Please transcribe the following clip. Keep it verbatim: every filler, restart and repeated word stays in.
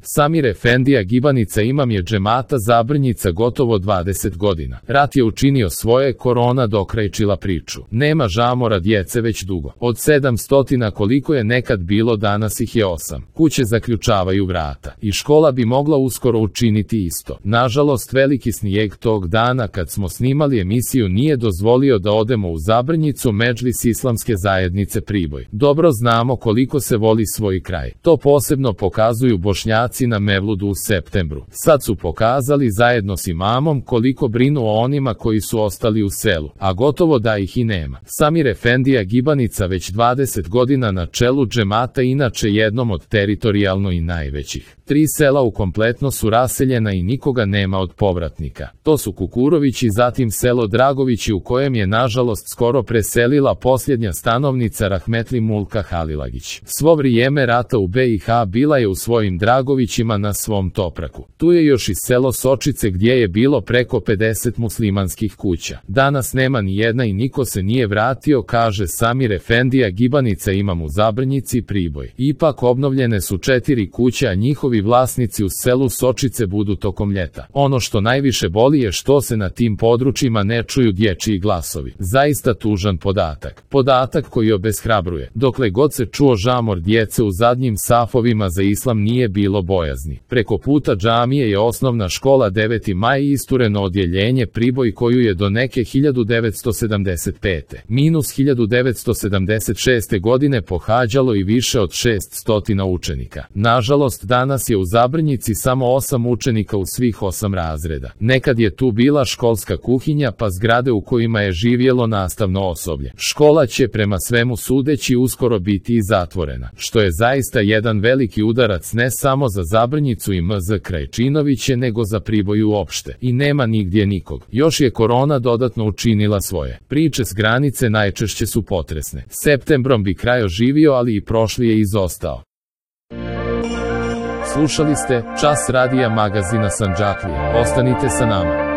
Samir Efendija Gibanica imam je džemata Zabrnjica gotovo dvadeset godina. Rat je učinio svoje, korona dokrajčila priču. Nema žamora djece već dugo. Od sedam stotina koliko je nekad bilo, danas ih je osam. Kuće zaključavaju vrata. I škola bi mogla uskoro učiniti isto. Nažalost, veliki snijeg tog dana kad smo snimali emisiju nije dozvolio da odemo u Zabrnjicu, Medžlis Islamske zajednice Priboj. Dobro znamo koliko se voli svoj kraj. To posebno pokazuju Bošnjaci na Mevludu u septembru. Sad su pokazali zajedno s imamom koliko brinu o onima koji su ostali u selu, a gotovo da ih i nema. Samir Efendija Gibanica već dvadeset godina na čelu džemata, inače jednom od teritorijalno i najvećih. Tri sela u kompletno su raseljena i nikoga nema od povratnika. To su Kukurovići, zatim selo Dragovići u kojem je nažalost skoro preselila posljednja stanovnica Rahmetli Mulka Halilagić. Svo vrijeme rata u be i ha bila je u svojim Dragovićima na svom topraku. Tu je još i selo Sočice gdje je bilo preko pedeset muslimanskih kuća. Danas nema ni jedna i niko se nije vratio, kaže Samir Efendija Gibanica imam u Zabrnjici Priboj. Ipak obnovljene su četiri kuće, a njihovi vlasnici u selu Sočice budu tokom ljeta. Ono što najviše boli je što se na tim područjima ne čuju dječji glasovi. Zaista tužan podatak. Podatak koji obeshrabruje. Dokle god se čuo žamor djece u zadnjim safovima za islam nije bilo bojazni. Preko puta džamije je osnovna škola deveti maj i istureno odjeljenje Priboj koju je do neke hiljadu devetsto sedamdeset pete minus hiljadu devetsto sedamdeset šeste godine pohađalo i više od šesnaest učenika. Nažalost, danas je u Zabrnjici samo osam učenika u svih osam razreda. Nekad je tu bila školska kuhinja pa zgrade u kojima je živjelo nastavno osoblje. Škola će prema svemu sudeći uskoro biti i zatvorena, što je zaista jedan veliki udarac ne samo za Zabrnjicu i em ze Krajčinoviće nego za Priboj uopšte. I nema nigdje nikog. Još je korona dodatno učinila svoje. Priče s granice najčešće su potresne. Septembrom bi kraj oživio, ali i prošli je izostao. Slušali ste Čas radija magazina Sandžaklija. Ostanite sa nama.